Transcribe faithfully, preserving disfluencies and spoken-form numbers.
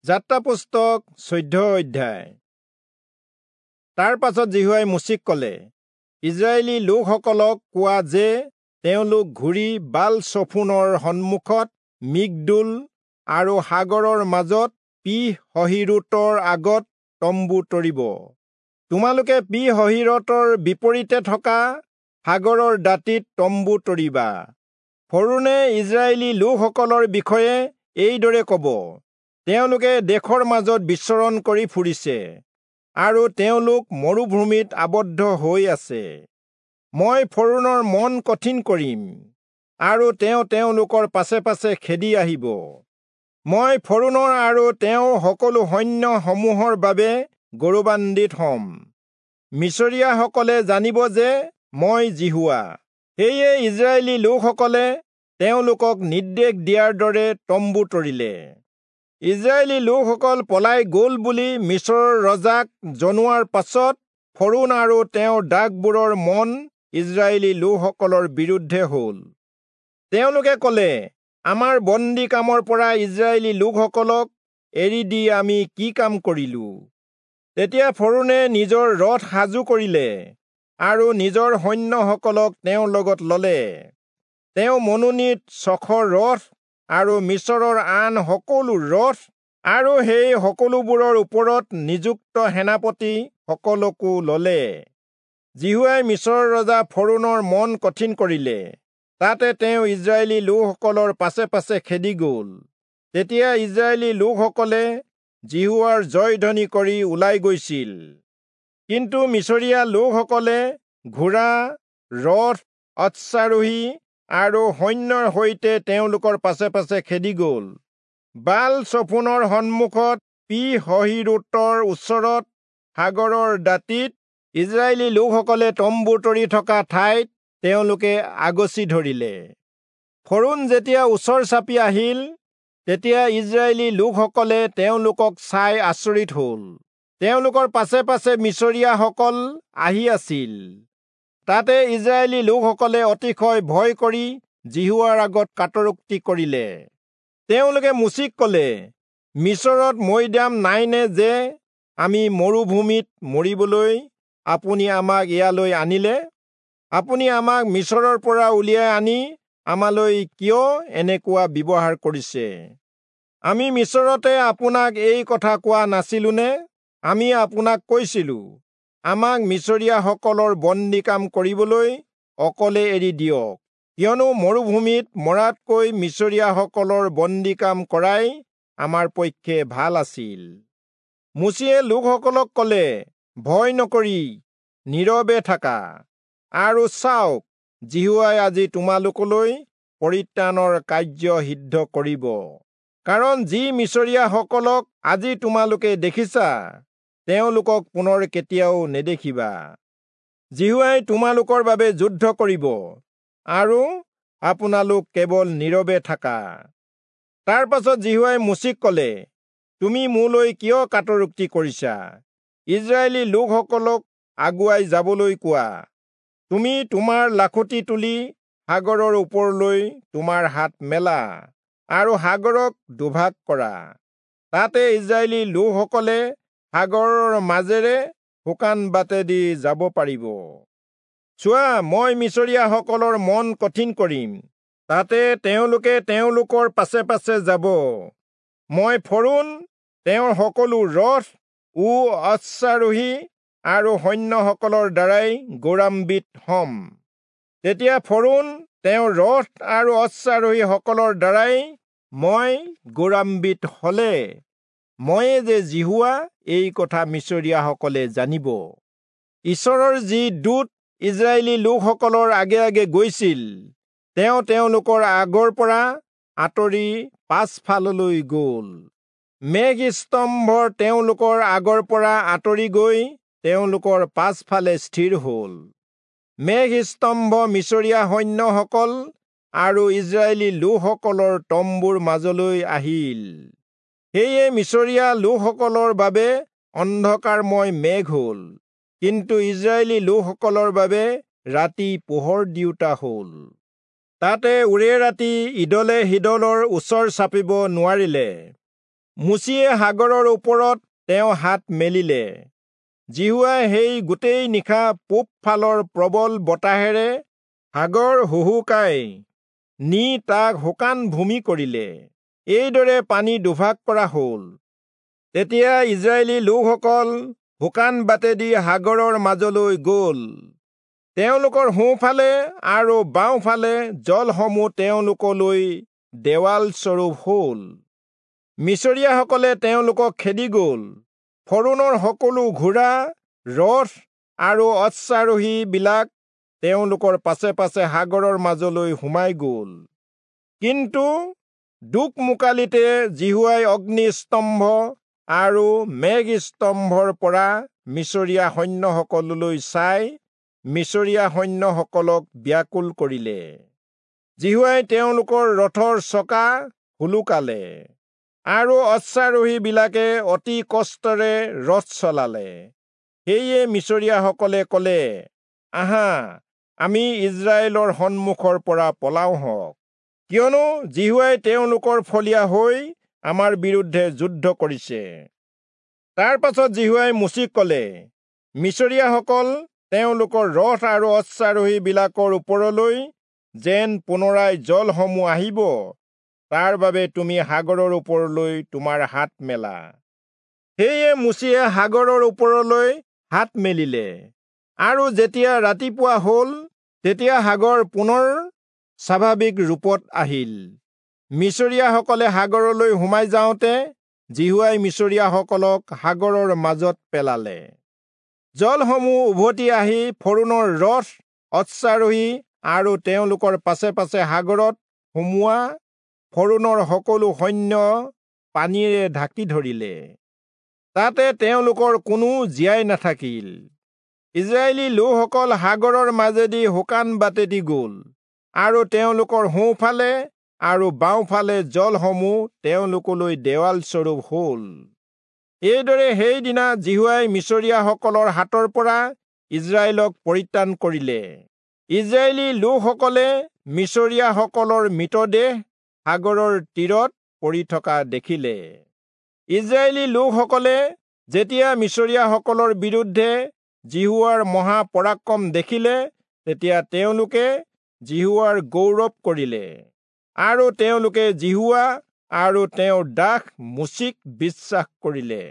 যাত্ৰা পুস্তক চৈধ্য অধ্যায়। তাৰ পাছত যিহোৱাই মোচিক কলে, ইস্ৰায়েলী লোকসকলক কোৱা যে তেওঁলোক ঘূৰি বাল-চফোনৰ সন্মুখত মিগদোল আৰু সাগৰৰ মাজত পী-হহীৰোতৰ আগত তম্বু তৰিব। তোমালোকে পী-হহীৰোতৰ বিপৰীতে থকা সাগৰৰ দাঁতিত তম্বু তৰিবা। ফৰৌণে ইস্ৰায়েলী লোকসকলৰ বিষয়ে এইদৰে কব, তেওঁলোকে দেশৰ মাজত বিচৰণ কৰি ফুৰিছে আৰু তেওঁলোক মৰুভূমিত আবদ্ধ হৈ আছে। মই ফৰৌণৰ মন কঠিন কৰিম আৰু তেওঁ তেওঁলোকৰ পাছে পাছে খেদি আহিব। মই ফৰৌণৰ আৰু তেওঁৰ সকলো সৈন্য সমূহৰ বাবে গৌৰৱান্বিত হম। মিচৰীয়াসকলে জানিব যে মই যিহোৱা। সেয়ে ইস্ৰায়েলী লোকসকলে তেওঁলোকক নিৰ্দেশ দিয়াৰ দৰে তম্বু তৰিলে। ইস্ৰায়েলী লোকসকল পলাই গল বুলি মিচৰৰ ৰজাক জনোৱাৰ পাছত ফৰৌণ আৰু তেওঁৰ দাসবোৰৰ মন ইস্ৰায়েলী লোকসকলৰ বিৰুদ্ধে হল। তেওঁলোকে কলে, আমাৰ বন্দী কামৰ পৰা ইস্ৰায়েলী লোকসকলক এৰি দি আমি কি কাম কৰিলো? তেতিয়া ফৰৌণে নিজৰ ৰথ সাজু কৰিলে আৰু নিজৰ সৈন্যসকলক তেওঁৰ লগত ললে। তেওঁ মনোনীত ছশ ৰথ আৰু মিচৰৰ আন সকলো ৰথ আৰু সেই সকলোবোৰৰ ওপৰত নিযুক্ত সেনাপতি সকলকো ললে। যিহোৱাই মিচৰৰ ৰজা ফৰৌণৰ মন কঠিন কৰিলে, তাতে তেওঁ ইস্ৰায়েলী লোকসকলৰ পাছে পাছে খেদি গল। তেতিয়া ইস্ৰায়েলী লোকসকলে যিহোৱাৰ জয়ধ্বনি কৰি ওলাই গৈছিল। কিন্তু মিচৰীয়া লোকসকলে ঘোঁৰা, ৰথ, অশ্বাৰোহী আৰু সৈন্যৰ সৈতে তেওঁলোকৰ পাছে পাছে খেদি গল। বাল-চফোনৰ সন্মুখত পী-হহীৰোতৰ ওচৰত সাগৰৰ দাঁতিত ইস্ৰায়েলী লোকসকলে তম্বু তৰি থকা ঠাইত তেওঁলোকে আগচি ধৰিলে। ফৰৌণ যেতিয়া ওচৰ চাপি আহিল, তেতিয়া ইস্ৰায়েলী লোকসকলে তেওঁলোকক চাই আচৰিত হল। তেওঁলোকৰ পাছে পাছে মিচৰীয়াসকল আহি আছিল। তাতে ইস্ৰায়েলী লোকসকলে অতিশয় ভয় কৰি যিহোৱাৰ আগত কাতৰোক্তি কৰিলে। তেওঁলোকে মোচিক কলে, মিচৰত মৈদাম নাইনে যে আমি মৰুভূমিত মৰিবলৈ আপুনি আমাক ইয়ালৈ আনিলে? আপুনি আমাক মিচৰৰ পৰা উলিয়াই আনি আমালৈ কিয় এনেকুৱা ব্যৱহাৰ কৰিছে? আমি মিচৰতে আপোনাক এই কথা কোৱা নাছিলোনে? আমি আপোনাক কৈছিলো, আমাক মিচৰীয়াসকলৰ বন্দী কাম কৰিবলৈ অকলে এৰি দিয়ক, কিয়নো মৰুভূমিত মৰাতকৈ মিচৰীয়াসকলৰ বন্দী কাম কৰাই আমাৰ পক্ষে ভাল আছিল। মোচিয়ে লোকসকলক কলে, ভয় নকৰি নীৰৱে থাকা আৰু চাওক, যিহোৱাই আজি তোমালোকলৈ পৰিত্ৰাণৰ কাৰ্য সিদ্ধ কৰিব। কাৰণ যি মিচৰীয়াসকলক আজি তোমালোকে দেখিছা, তেওঁলোকক পুনৰ কেতিয়াও নেদেখিবা। যিহোৱাই তোমালোকৰ বাবে যুদ্ধ কৰিব আৰু আপোনালোক কেৱল নীৰৱে থাকা। তাৰ পাছত যিহোৱাই মোচিক কলে, তুমি মোলৈ কিয় কাতৰোক্তি কৰিছা? ইস্ৰায়েলী লোকসকলক আগুৱাই যাবলৈ কোৱা। তুমি তোমাৰ লাখুটি তুলি সাগৰৰ ওপৰলৈ তোমাৰ হাত মেলা আৰু সাগৰক দুভাগ কৰা। তাতে ইস্ৰায়েলী লোকসকলে সাগৰৰ মাজেৰে শুকান বাটেদি যাব পাৰিব। চোৱা, মই মিচৰীয়াসকলৰ মন কঠিন কৰিম, তাতে তেওঁলোকে তেওঁলোকৰ পাছে পাছে যাব। মই ফৰৌণ, তেওঁৰ সকলো ৰথ ও অশ্বাৰোহী আৰু সৈন্যসকলৰ দ্বাৰাই গৌৰৱান্বিত হম। তেতিয়া ফৰৌণ, তেওঁৰ ৰথ আৰু অশ্বাৰোহীসকলৰ দ্বাৰাই মই গৌৰৱান্বিত হলে ময়ে যে যিহোৱা, এই কথা মিচৰীয়াসকলে জানিব। ঈশ্বৰৰ যি দূত ইস্ৰায়েলী লোকসকলৰ আগে আগে গৈছিল, তেওঁ তেওঁলোকৰ আগৰ পৰা আঁতৰি পাছফাললৈ গল। মেঘ স্তম্ভৰ তেওঁলোকৰ আগৰ পৰা আঁতৰি গৈ তেওঁলোকৰ পাছফালে স্থিৰ হল। মেঘ স্তম্ভ মিচৰীয়া সৈন্যসকল আৰু ইস্ৰায়েলী লোকসকলৰ তম্বুৰ মাজলৈ আহিল। সেয়ে মিচৰীয়া লোকসকলৰ বাবে অন্ধকাৰময় মেঘ হল, কিন্তু ইস্ৰায়েলী লোকসকলৰ বাবে ৰাতি পোহৰ দিওঁতা হল। তাতে ওৰে ৰাতি ইদলে সিদলৰ ওচৰ চাপিব নোৱাৰিলে। মোচিয়ে সাগৰৰ ওপৰত তেওঁ হাত মেলিলে। যিহোৱাই সেই গোটেই নিশা পূব ফালৰ প্ৰবল বতাহেৰে সাগৰ হুহুকাই নি তাক শুকান ভূমি কৰিলে। এইদৰে পানী দুভাগ কৰা হল। তেতিয়া ইজৰাইলী লোকসকল শুকান বাটেদি সাগৰৰ মাজলৈ গল। তেওঁলোকৰ সোঁফালে আৰু বাওঁফালে জলসমূহ তেওঁলোকলৈ দেৱাল স্বৰূপ হল। মিচৰীয়াসকলে তেওঁলোকক খেদি গল। ফৰোণৰ সকলো ঘোঁৰা, ৰথ আৰু অশ্বাৰোহীবিলাক তেওঁলোকৰ পাছে পাছে সাগৰৰ মাজলৈ সোমাই গল। কিন্তু দোকমোকালিতে যিহোৱাই অগ্নিস্তম্ভ আৰু মেঘস্তম্ভৰ পৰা মিচৰীয়া সৈন্যসকললৈ চাই মিচৰীয়া সৈন্যসকলক ব্যাকুল কৰিলে। যিহোৱাই তেওঁলোকৰ ৰথৰ চকা সোলোকালে আৰু অশ্বাৰোহীবিলাকে অতি কষ্টৰে ৰথ চলালে। সেয়ে মিচৰীয়াসকলে কলে, আহা, আমি ইজৰাইলৰ সন্মুখৰ পৰা পলাওঁ হওক, কিয়নো যিহোৱাই তেওঁলোকৰ ফলীয়া হৈ আমাৰ বিৰুদ্ধে যুদ্ধ কৰিছে। তাৰ পাছত যিহোৱাই মোচিক কলে, মিচৰীয়াসকল তেওঁলোকৰ ৰথ আৰু অশ্বাৰোহীবিলাকৰ ওপৰলৈ যেন পুনৰাই জলসমূহ আহিব, তাৰ বাবে তুমি সাগৰৰ ওপৰলৈ তোমাৰ হাত মেলা। সেয়ে মোচিয়ে সাগৰৰ ওপৰলৈ হাত মেলিলে, আৰু যেতিয়া ৰাতিপুৱা হল তেতিয়া সাগৰ পুনৰ স্বাভাৱিক ৰূপত আহিল। মিচৰীয়াসকলে সাগৰলৈ সোমাই যাওঁতে যিহোৱাই মিচৰীয়াসকলক সাগৰৰ মাজত পেলালে। জলসমূহ উভতি আহি ফৰোণৰ ৰথ, অশ্বাৰোহী আৰু তেওঁলোকৰ পাছে পাছে সাগৰত সোমোৱা ফৰোণৰ সকলো সৈন্য পানীৰে ঢাকি ধৰিলে। তাতে তেওঁলোকৰ কোনো জীয়াই নাথাকিল। ইজৰাইলী লোকসকল সাগৰৰ মাজেদি শুকান বাটেদি গল, আৰু তেওঁলোকৰ সোঁফালে আৰু বাওঁফালে জলসমূহ তেওঁলোকলৈ দেৱাল স্বৰূপ হল। এইদৰে সেইদিনা যিহোৱাই মিচৰীয়াসকলৰ হাতৰ পৰা ইজৰাইলক পৰিত্ৰাণ কৰিলে। ইজৰাইলী লোকসকলে মিচৰীয়াসকলৰ মৃতদেহ সাগৰৰ তীৰত পৰি থকা দেখিলে। ইজৰাইলী লোকসকলে যেতিয়া মিচৰীয়াসকলৰ বিৰুদ্ধে যিহোৱাৰ মহাপৰাক্ৰম দেখিলে, তেতিয়া তেওঁলোকে যিহোৱাৰ গৌৰৱ কৰিলে, আৰু তেওঁলোকে যিহোৱা আৰু তেওঁৰ দাস মোচিক বিশ্বাস কৰিলে।